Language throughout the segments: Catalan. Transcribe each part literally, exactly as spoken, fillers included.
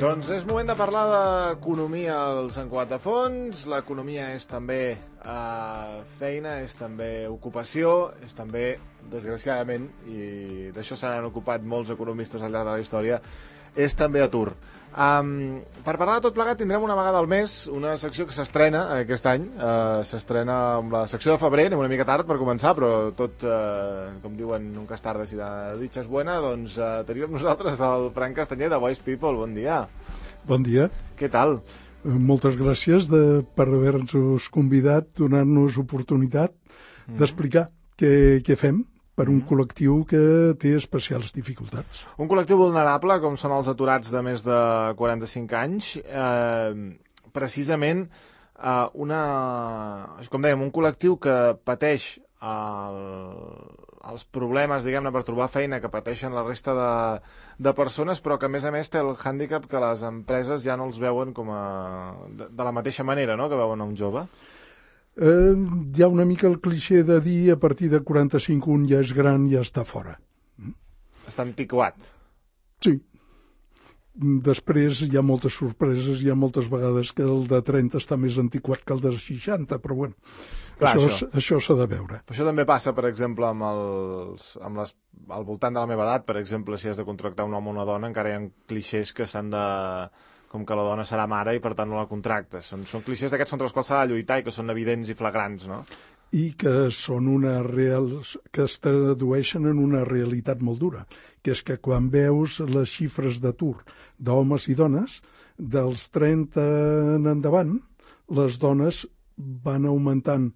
Doncs és moment de parlar d'economia al Sant Cugat de Fons. L'economia és també eh, feina, és també ocupació, és també, desgraciadament, i d'això se n'han ocupat molts economistes al llarg de la història, és també atur. Um, per parlar de tot plegat tindrem una vegada al mes una secció que s'estrena aquest any. Uh, s'estrena amb la secció de febrer, anem una mica tard per començar, però tot, uh, com diuen, nunca es tarda si la dicha és buena. Doncs uh, tenim amb nosaltres el Fran Castanyer de Voice People. Bon dia. Bon dia. Què tal? Moltes gràcies de, per haver-nos convidat, donant-nos oportunitat mm. d'explicar què, què fem per un col·lectiu que té especials dificultats. Un col·lectiu vulnerable, com són els aturats de més de quaranta-cinc anys, eh, precisament eh, una, com dèiem, un col·lectiu que pateix el, els problemes, diguem-ne, per trobar feina que pateixen la resta de, de persones, però que a més a més té el hàndicap que les empreses ja no els veuen com a, de, de la mateixa manera, no?, que veuen a un jove. Eh, hi ha una mica el clixé de dir a partir de quaranta-cinc un ja és gran, ja està fora. Està antiquat. Sí. Després hi ha moltes sorpreses, hi ha moltes vegades que el de trenta està més antiquat que el de seixanta, però bueno, Clar, això, això. això s'ha de veure. Però això també passa, per exemple, amb els, amb les, al voltant de la meva edat, per exemple, si has de contractar un home o una dona, encara hi ha clixés que s'han de... com que la dona serà mare i per tant no la contractes. Són, són clixés d'aquests contra els quals s'ha de lluitar i que són evidents i flagrants, no? I que són una real... que es tradueixen en una realitat molt dura, que és que quan veus les xifres d'atur d'homes i dones, dels trenta en endavant, les dones van augmentant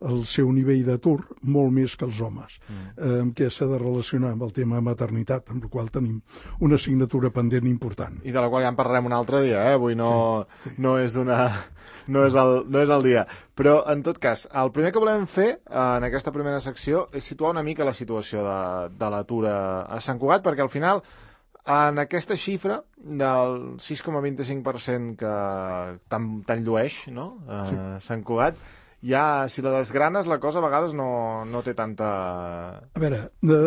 el seu nivell d'atur molt més que els homes, mm. eh, que s'ha de relacionar amb el tema maternitat, amb el qual tenim una assignatura pendent important. I de la qual ja en parlarem un altre dia, eh? Avui no, sí, sí. no, és una, no, és el, no és el dia. Però, en tot cas, el primer que volem fer eh, en aquesta primera secció és situar una mica la situació de, de l'atur a, a Sant Cugat, perquè al final, en aquesta xifra del sis coma vint-i-cinc per cent que tan, tan llueix, no?, a sí. Sant Cugat, ja, si la desgranes, la cosa a vegades no, no té tanta... A veure,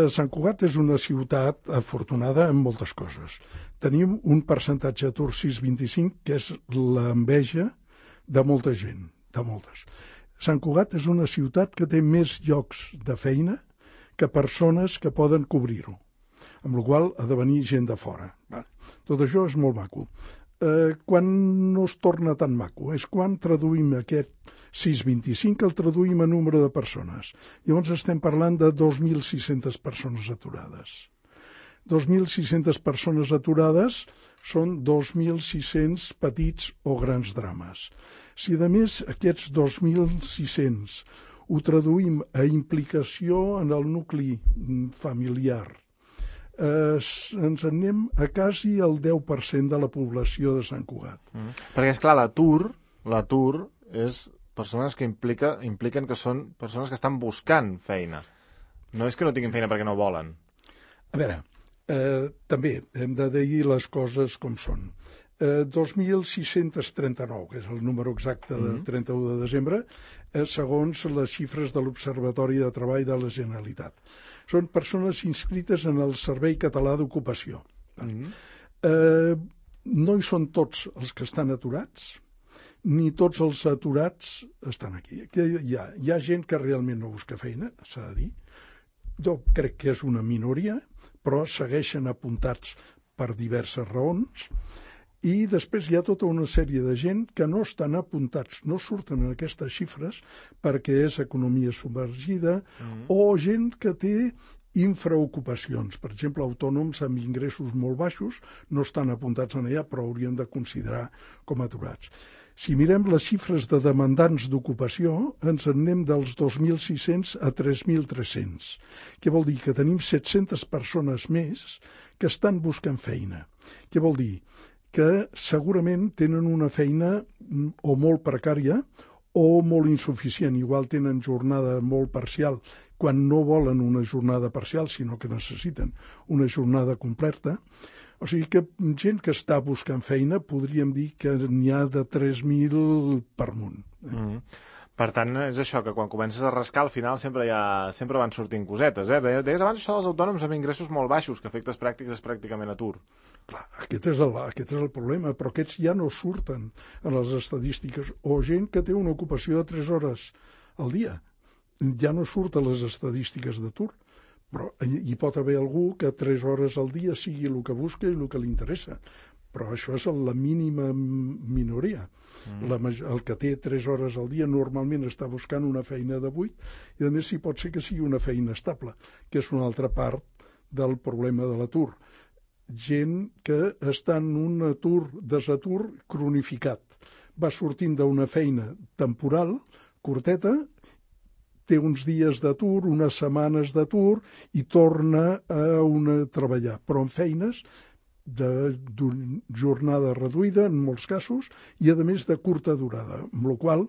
Sant Cugat és una ciutat afortunada en moltes coses. Tenim un percentatge d'atur sis coma vint-i-cinc, que és l'enveja de molta gent, de moltes. Sant Cugat és una ciutat que té més llocs de feina que persones que poden cobrir-ho, amb la qual ha de venir gent de fora. Tot això és molt maco. Eh, quan no es torna tan maco és quan traduïm aquest sis coma vint-i-cinc, el traduïm a número de persones. Llavors estem parlant de dos mil sis-centes persones aturades. dos mil sis-centes persones aturades són dos mil sis-cents petits o grans drames. Si a més aquests dos mil sis-cents ho traduïm a implicació en el nucli familiar, Eh, ens anem a quasi el deu per cent de la població de Sant Cugat. Mm. Perquè, esclar, l'atur, l'atur és persones que implica, impliquen que són persones que estan buscant feina. No és que no tinguin feina perquè no volen. A veure, eh, també hem de dir les coses com són. Eh, dos mil sis-cents trenta-nou, que és el número exacte de trenta-u de desembre, eh, segons les xifres de l'Observatori de Treball de la Generalitat. Són persones inscrites en el Servei Català d'Ocupació. Mm-hmm. Eh, no hi són tots els que estan aturats, ni tots els aturats estan aquí. Hi ha, hi ha gent que realment no busca feina, s'ha de dir. Jo crec que és una minoria, però segueixen apuntats per diverses raons. I després hi ha tota una sèrie de gent que no estan apuntats, no surten en aquestes xifres perquè és economia submergida mm. o gent que té infraocupacions. Per exemple, autònoms amb ingressos molt baixos no estan apuntats en allà, però haurien de considerar com aturats. Si mirem les xifres de demandants d'ocupació, ens en anem dels dos mil sis-cents a tres mil tres-cents, que vol dir que tenim set-centes persones més que estan buscant feina. Què vol dir? Que segurament tenen una feina o molt precària o molt insuficient. Igual tenen jornada molt parcial quan no volen una jornada parcial, sinó que necessiten una jornada completa. O sigui que gent que està buscant feina podríem dir que n'hi ha de tres mil per munt. Eh? Mm. Per tant, és això, que quan comences a rascar, al final sempre, hi ha, sempre van sortint cosetes. Eh? Deies abans això dels autònoms amb ingressos molt baixos, que efectes pràctics és pràcticament atur. Clar, aquest és, el, aquest és el problema, però aquests ja no surten a les estadístiques. O gent que té una ocupació de tres hores al dia, ja no surt a les estadístiques d'atur. Però hi pot haver algú que tres hores al dia sigui el que busca i el que li interessa. Però això és la mínima minoria. Mm. La, el que té tres hores al dia normalment està buscant una feina de vuit i a més si pot ser que sigui una feina estable, que és una altra part del problema de l'atur. Gent que està en un atur, desatur cronificat. Va sortint d'una feina temporal, curteta, té uns dies d'atur, unes setmanes d'atur i torna a una, treballar, però en feines de jornada reduïda en molts casos i a més de curta durada, amb la qual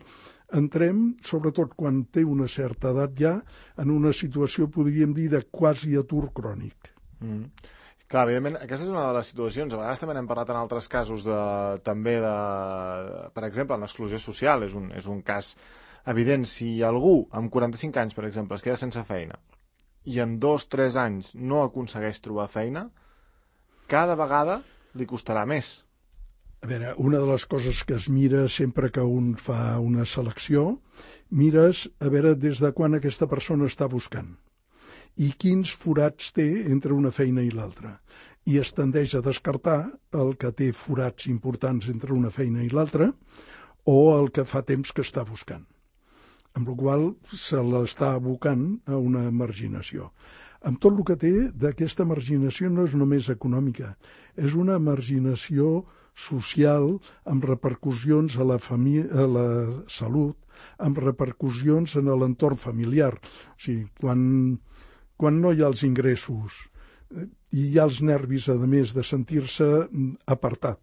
entrem, sobretot quan té una certa edat ja, en una situació, podríem dir, de quasi atur crònic. Mm. Clar, evidentment, aquesta és una de les situacions, a vegades també n'hem parlat en altres casos, de, també de, per exemple, l'exclusió social, és un, és un cas evident. Si algú amb quaranta-cinc anys, per exemple, es queda sense feina i en dos o tres anys no aconsegueix trobar feina, cada vegada li costarà més. A veure, una de les coses que es mira sempre que un fa una selecció, mires a veure des de quan aquesta persona està buscant i quins forats té entre una feina i l'altra. I es tendeix a descartar el que té forats importants entre una feina i l'altra o el que fa temps que està buscant. Amb la qual se l'està abocant a una marginació. Amb tot el que té d'aquesta marginació no és només econòmica, és una marginació social amb repercussions a la, a la salut, amb repercussions en l'entorn familiar. O sigui, quan, quan no hi ha els ingressos i hi ha els nervis, a més, de sentir-se apartat,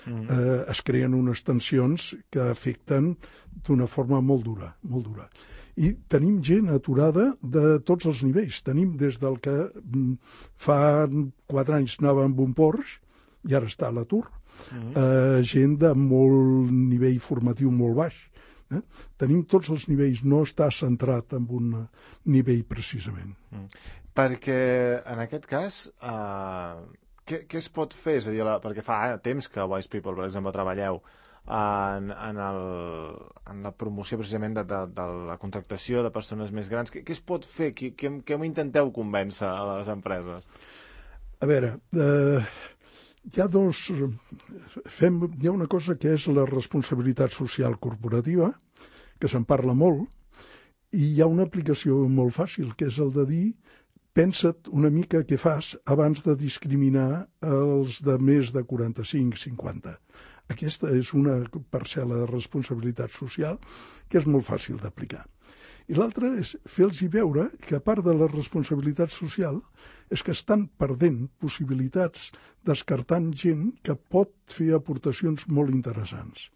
mm. eh, es creen unes tensions que afecten d'una forma molt dura, molt dura. I tenim gent aturada de tots els nivells. Tenim des del que fa quatre anys anava amb un Porsche i ara està a l'atur, mm. eh, gent de molt nivell formatiu molt baix. Eh? Tenim tots els nivells, no està centrat en un nivell precisament. Mm. Perquè en aquest cas, eh, què, què es pot fer? És a dir, la, perquè fa eh, temps que Wise People, per exemple, treballeu En, en, el, en la promoció precisament de, de, de la contractació de persones més grans. Què, què es pot fer? Què, què, què intenteu convèncer a les empreses? A veure, eh, hi ha dos... Fem, hi ha una cosa que és la responsabilitat social corporativa, que se'n parla molt, i hi ha una aplicació molt fàcil, que és el de dir pensa't una mica què fas abans de discriminar els de més de quaranta-cinc cinquanta. Aquesta és una parcel·la de responsabilitat social que és molt fàcil d'aplicar. I l'altra és fer-los veure que, a part de la responsabilitat social, és que estan perdent possibilitats descartant gent que pot fer aportacions molt interessants.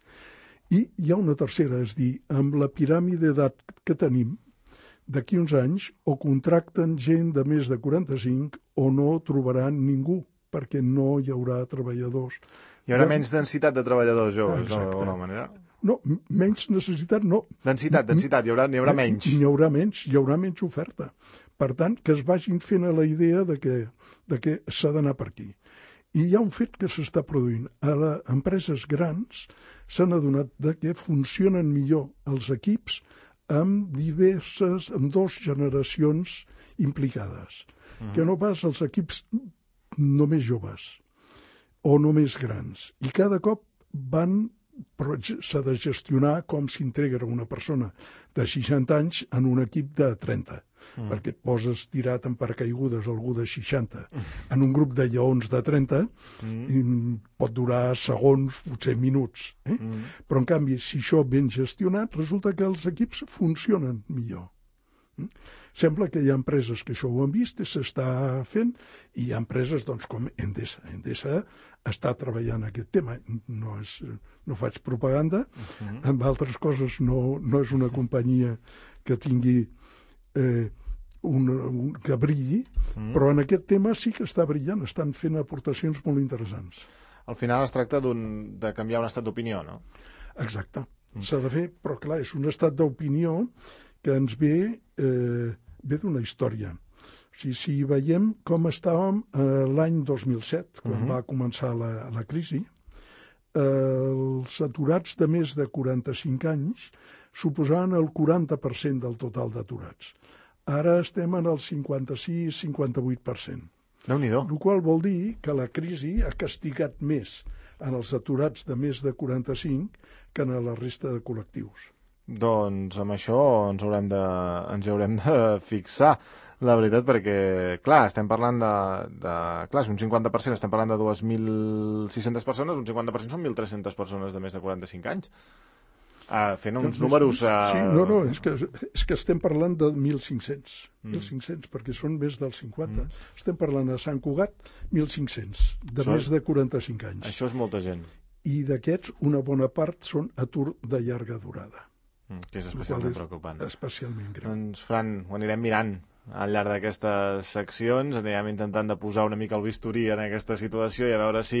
I hi ha una tercera, és dir, amb la piràmide d'edat que tenim, d'aquí uns anys o contracten gent de més de quaranta-cinc o no trobaran ningú, perquè no hi haurà treballadors. Hi haurà menys densitat de treballadors joves, d'alguna manera? No, menys necessitat no. Densitat, densitat, hi haurà, n'hi haurà menys. N'hi haurà menys, hi haurà menys oferta. Per tant, que es vagin fent a la idea de que, de que s'ha d'anar per aquí. I hi ha un fet que s'està produint. A les empreses grans s'han adonat de que funcionen millor els equips amb diverses, amb dues generacions implicades. Uh-huh. Que no pas els equips només joves o només grans. I cada cop van, però s'ha de gestionar com s'integra una persona de seixanta anys en un equip de trenta, mm. perquè et poses tirat en paracaigudes algú de seixanta. Mm. En un grup de lleons de trenta mm. pot durar segons, potser minuts. Eh? Mm. Però, en canvi, si això ben gestionat, resulta que els equips funcionen millor. Mm? Sembla que hi ha empreses que això ho han vist i s'està fent, i hi ha empreses doncs, com Endesa. Endesa està treballant aquest tema. No, és, no faig propaganda, uh-huh. amb altres coses no, no és una companyia que tingui eh, un, un, que brilli, uh-huh. però en aquest tema sí que està brillant, estan fent aportacions molt interessants. Al final es tracta de canviar un estat d'opinió, no? Exacte. s'ha de fer, però clar, és un estat d'opinió que ens ve, eh, ve d'una història. O sigui, si veiem com estàvem eh, l'any dos mil set, quan uh-huh. va començar la, la crisi, eh, els aturats de més de quaranta-cinc anys suposaven el quaranta per cent del total d'aturats. Ara estem en el cinquanta-sis cinquanta-vuit per cent. Déu-n'hi-do. El qual vol dir que la crisi ha castigat més en els aturats de més de quaranta-cinc que en la resta de col·lectius. Doncs amb això ens haurem de, ens haurem de fixar, la veritat, perquè, clar, estem parlant de, de... Clar, és un cinquanta per cent, estem parlant de dos mil sis-centes persones, un cinquanta per cent són mil tres-centes persones de més de quaranta-cinc anys. Uh, fent uns números... Uh... Sí, no, no, és que, és que estem parlant de mil cinc-cents, mm. mil cinc-cents, perquè són més del cinquanta. Mm. Estem parlant a Sant Cugat, mil cinc-cents, de això més de quaranta-cinc anys. Això és molta gent. I d'aquests, una bona part són atur de llarga durada. Mm, que és especialment és preocupant. Especialment greu. Doncs, Fran, ho anirem mirant al llarg d'aquestes seccions, anirem intentant de posar una mica el bisturí en aquesta situació i a veure si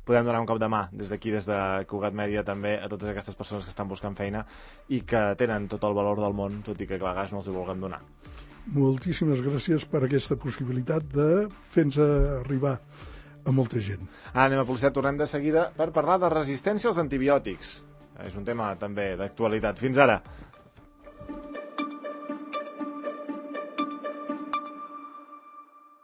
podem donar un cop de mà des d'aquí, des de Cugat Mèdia, també a totes aquestes persones que estan buscant feina i que tenen tot el valor del món, tot i que a vegades no els hi vulguem donar. Moltíssimes gràcies per aquesta possibilitat de fer-nos arribar a molta gent. Ara anem a publicitat, tornem de seguida per parlar de resistència als antibiòtics. És un tema també d'actualitat. Fins ara.